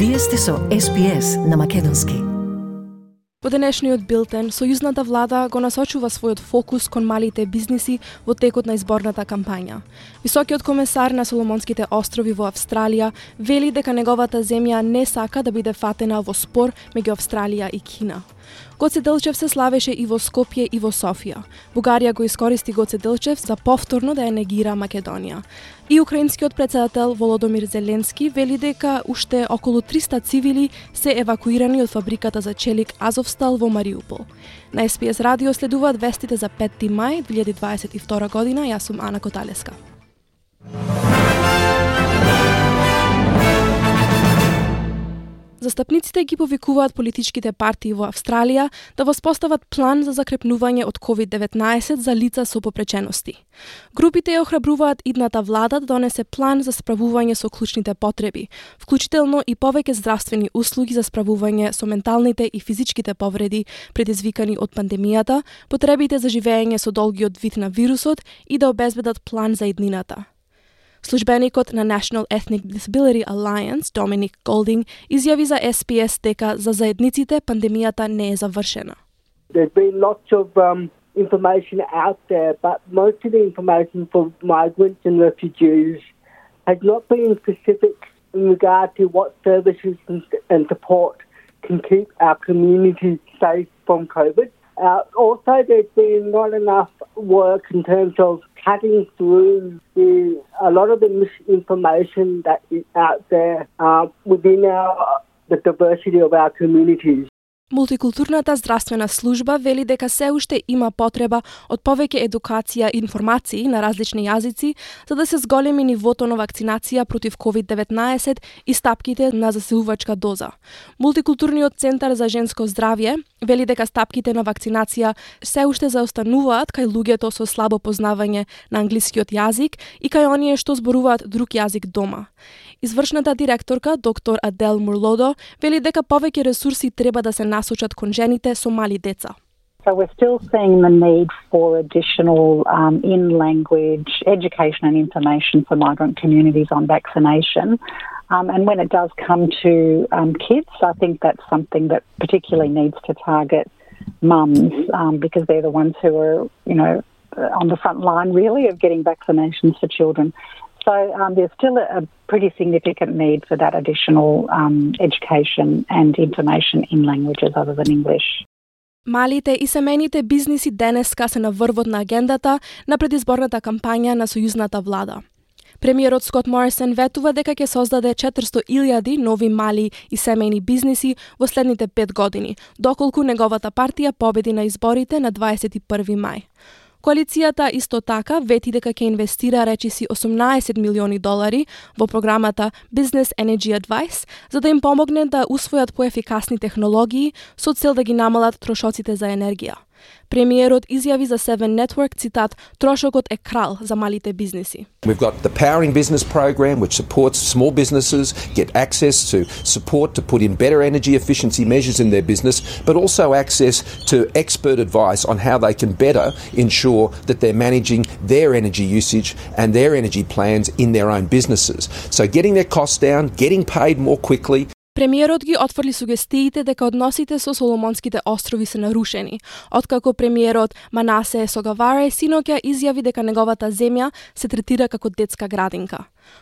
Вие сте со SPS на Македонски. Во денешниот билтен, сојузната влада го насочува својот фокус кон малите бизниси во текот на изборната кампања. Високиот комесар на Соломонските острови во Австралија вели дека неговата земја не сака да биде фатена во спор меѓу Австралија и Кина. Гоце Делчев се славеше и во Скопје и во Софија. Бугарија го искористи Гоце Делчев за повторно да ја негира Македонија. И украинскиот претседател Володомир Зеленски вели дека уште околу 300 цивили се евакуирани од фабриката за челик Азовстал во Мариупол. На SPS радио следуваат вестите за 5 мај 2022 година. Јас сум Ана Коталеска. Застапниците ги повикуваат политичките партии во Австралија да воспостават план за закрепнување од COVID-19 за лица со попречености. Групите ја охрабруваат идната влада да донесе план за справување со клучните потреби, вклучително и повеќе здравствени услуги за справување со менталните и физичките повреди предизвикани од пандемијата, потребите за живеење со долгиот вид на вирусот и да обезбедат план за иднината. Службеникот на National Ethnic Disability Alliance, Dominic Golding, изјави за SPS дека за заедниците пандемијата не е завршена. There's been lots of information out there, but most of the information for migrants and refugees has not been specific in regard to what services and support can keep our community safe from COVID. Also, there's been not enough work in terms of cutting through a lot of the misinformation that is out there within the diversity of our communities. Мултикултурната здравствена служба вели дека се уште има потреба од повеќе едукација и информации на различни јазици за да се зголеми нивото на вакцинација против COVID-19 и стапките на заселувачка доза. Мултикултурниот центар за женско здравје вели дека стапките на вакцинација се уште заостануваат кај луѓето со слабо познавање на англискиот јазик и кај оние што зборуваат друг јазик дома. Извршната директорка, доктор Адел Мурлодо, вели дека повеќе ресурси треба да се насочат кон жените со мали деца. So we're still seeing the need for additional in-language education and information for migrant communities on vaccination. And when it does come to kids, I think that's something that particularly needs to target mums because they're the ones who are, on the front line really of getting vaccinations for children. So there's still a pretty significant need for that additional education and information in languages other than English. Малите и семејните бизниси денеска се на врвот на агендата на предизборната кампања на сојузната влада. Премиерот Скот Морисон ветува дека ќе создаде 400,000 нови мали и семејни бизниси во следните 5 години, доколку неговата партија победи на изборите на 21 мај. Коалицијата исто така вети дека ќе инвестира речиси $18 милиони во програмата Business Energy Advice за да им помогне да усвојат поефикасни технологии со цел да ги намалат трошоците за енергија. Премиерот изјави за Seven Network, цитат, трошокот е крал за малите бизниси. We've got the Powering Business program which supports small businesses get access to support to put in better energy efficiency measures in their business, but also access to expert advice on how they can better ensure that they're managing their energy usage and their energy plans in their own businesses. So getting their costs down, getting paid more quickly. Премиерот ги отфрли сугестиите дека односите со Соломонските острови се нарушени, откако премиерот Манасе Согаваре синоќа изјави дека неговата земја се третира како детска градинка.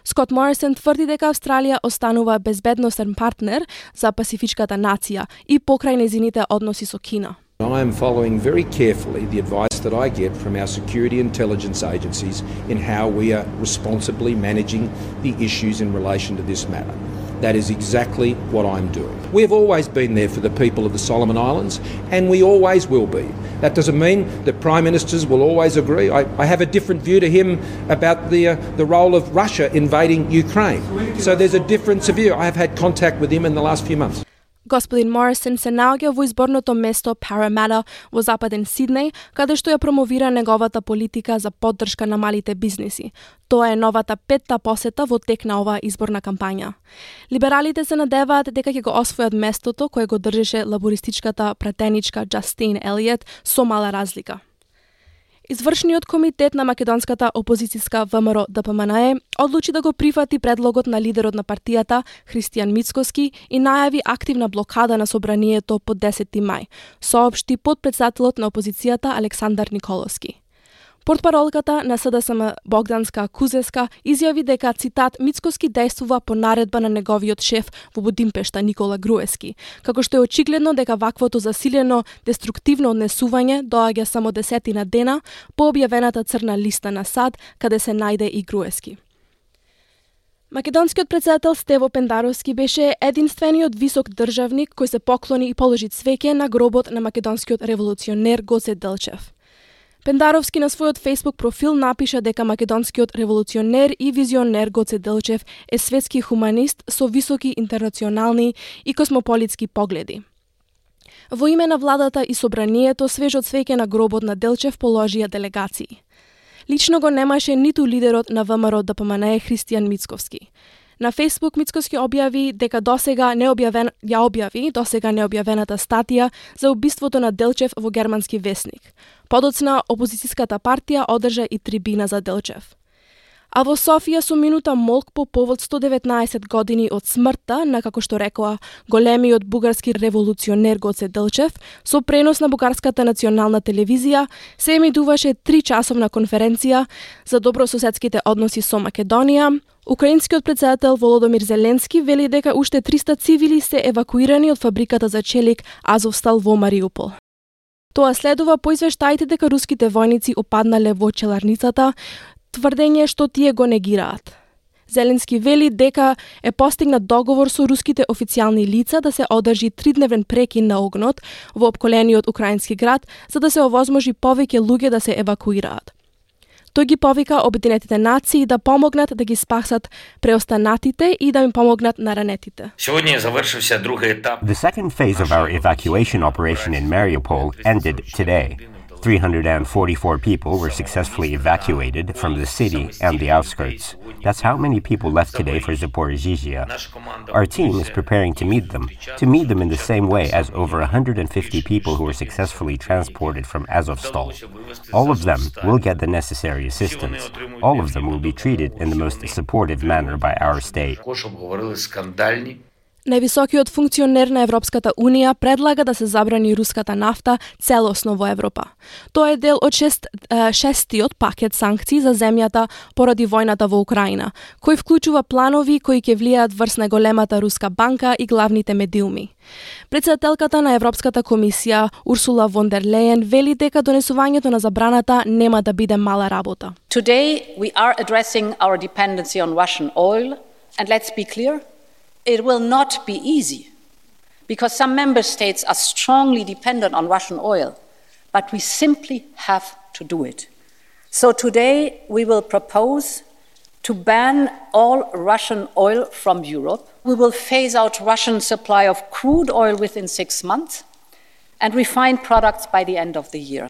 Скот Морисон тврди дека Австралија останува безбедносен партнер за пасифичката нација и покрај нејзините односи со Кина. I am following very carefully the advice that I get from our security intelligence agencies in how we are responsibly managing the issues in relation to this matter. That is exactly what I'm doing. We have always been there for the people of the Solomon Islands, and we always will be. That doesn't mean that Prime Ministers will always agree. I have a different view to him about the role of Russia invading Ukraine. So there's a difference of view. I have had contact with him in the last few months. Господин Морисон се наоѓа во изборното место Парамата во западен Сиднеј, каде што ја промовира неговата политика за поддршка на малите бизниси. Тоа е новата 5-та посета во тек на оваа изборна кампања. Либералите се надеваат дека ќе го освојат местото кое го држеше лабористичката пратеничка Джастин Елиот со мала разлика. Извршниот комитет на македонската опозицијска ВМРО-ДПМНЕ одлучи да го прифати предлогот на лидерот на партијата Христијан Мицкоски и најави активна блокада на собранието по 10 мај, соопшти подпредседателот на опозицијата Александар Николовски. Портпаролката на СДСМ Богданска Кузеска изјави дека, цитат, Мицкоски действува по наредба на неговиот шеф во Будимпешта Никола Груевски, како што е очигледно дека ваквото засилено деструктивно однесување доаѓа само десетина дена по објавената црна листа на САД, каде се најде и Груевски. Македонскиот председател Стево Пендаровски беше единствениот висок државник кој се поклони и положи цвеќе на гробот на македонскиот револуционер Гоце Делчев. Пендаровски на својот Facebook профил напиша дека македонскиот револуционер и визионер Гоце Делчев е светски хуманист со високи интернационални и космополитски погледи. Во име на владата и собранието свежот цвеќе на гробот на Делчев положија делегации. Лично го немаше ниту лидерот на ВМРО-ДПМНЕ Христијан Мицковски. На Facebook Мицкоски објави дека досега необјавената статија за убиството на Делчев во германски весник. Подоцна опозицијската партија одржа и трибина за Делчев. А во Софија со минута молк по повод 119 години од смртта на, како што рекоа, големиот бугарски револуционер Гоце Делчев, со пренос на бугарската национална телевизија се емитуваше 3-часовна конференција за добрососедските односи со Македонија. Украинскиот председател Володомир Зеленски вели дека уште 300 цивили се евакуирани од фабриката за челик Азовстал во Мариупол. Тоа следува по извештаите дека руските војници опаднале во челарницата, тврдење што тие го негираат. Зеленски вели дека е постигнат договор со руските официјални лица да се одржи 3-дневен прекин на огнот во опколениот украински град, за да се овозможи повеќе луѓе да се евакуираат. Тој ги повика Обединетите нации да помогнат да ги спасат преостанатите и да им помогнат на ранетите. The second phase of our evacuation operation in Mariupol ended today. 344 people were successfully evacuated from the city and the outskirts. That's how many people left today for Zaporizhzhia. Our team is preparing to meet them in the same way as over 150 people who were successfully transported from Azovstal. All of them will get the necessary assistance. All of them will be treated in the most supportive manner by our state. Највисокиот функционер на Европската Унија предлага да се забрани руската нафта целосно во Европа. Тоа е дел од шестиот пакет санкции за земјата поради војната во Украина, кој вклучува планови кои ќе влијаат врз најголемата руска банка и главните медиуми. Председателката на Европската комисија Урсула фон дер Лејен вели дека донесувањето на забраната нема да биде мала работа. Today we are addressing our dependency on Russian oil, and let's be clear, it will not be easy, because some member states are strongly dependent on Russian oil, but we simply have to do it. So today we will propose to ban all Russian oil from Europe. We will phase out Russian supply of crude oil within 6 months and refined products by the end of the year.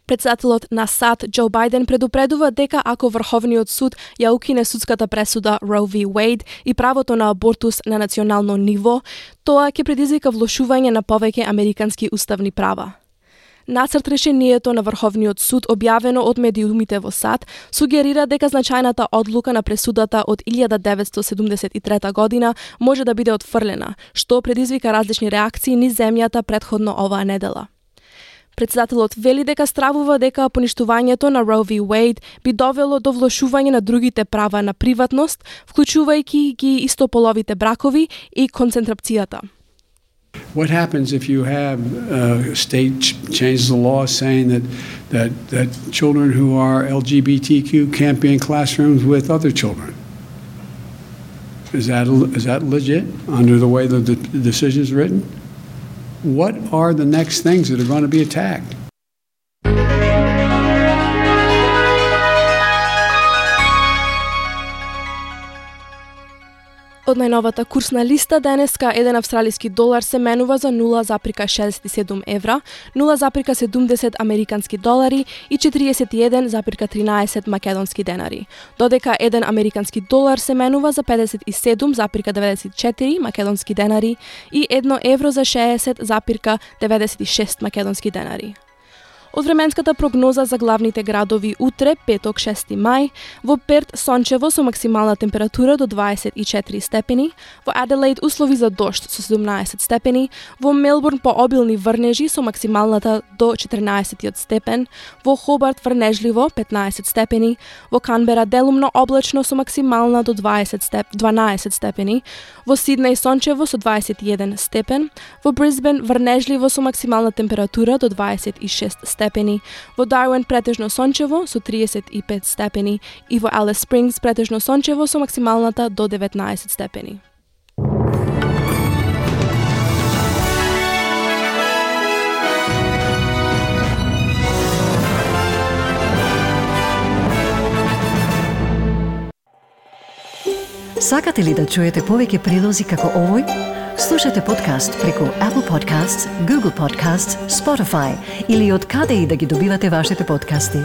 Председателот на САД Џо Бајден предупредува дека ако Врховниот суд ја укине судската пресуда Roe v. Wade и правото на абортус на национално ниво, тоа ќе предизвика влошување на повеќе американски уставни права. Нацрт решението на Врховниот суд, објавено од медиумите во САД, сугерира дека значајната одлука на пресудата од 1973 година може да биде отфрлена, што предизвика различни реакции низ земјата претходно оваа недела. Председателот вели дека стравува дека поништувањето на Roe v. Wade би довело до влошување на другите права на приватност, вклучувајќи ги истополовите бракови и концентрацијата. What happens if you have a state changes the law saying that children who are LGBTQ can't be in classrooms with other children? Is that legit under the way the decision is written? What are the next things that are going to be attacked? Од најновата курсна листа денеска еден австралиски долар се менува за 0,67 евра, 0,70 американски долари и 41,13 македонски денари, додека еден американски долар се менува за 57,94 македонски денари и 1 евро за 60,96 македонски денари. Од временската прогноза за главните градови утре, петок 6 мај, во Перт сончево со максимална температура до 24 степени, во Аделаид услови за дожд со 17 степени, во Мелбурн пообилни врнежи со максималната до 14 степен, во Хобарт врнежливо 15 степени, во Канбера делумно облачно со максимална до 12 степени, во Сиднеј сончево со 21 степен, во Брисбен врнежливо со максимална температура до 26 степени, во Дарвин претежно сончево со 35 степени и во Алис Спрингс претежно сончево со максималната до 19 степени. Сакате ли да чуете повеќе прилози како овој? Слушате подкаст преку Apple Podcasts, Google Podcasts, Spotify или од каде и да ги добивате вашите подкасти.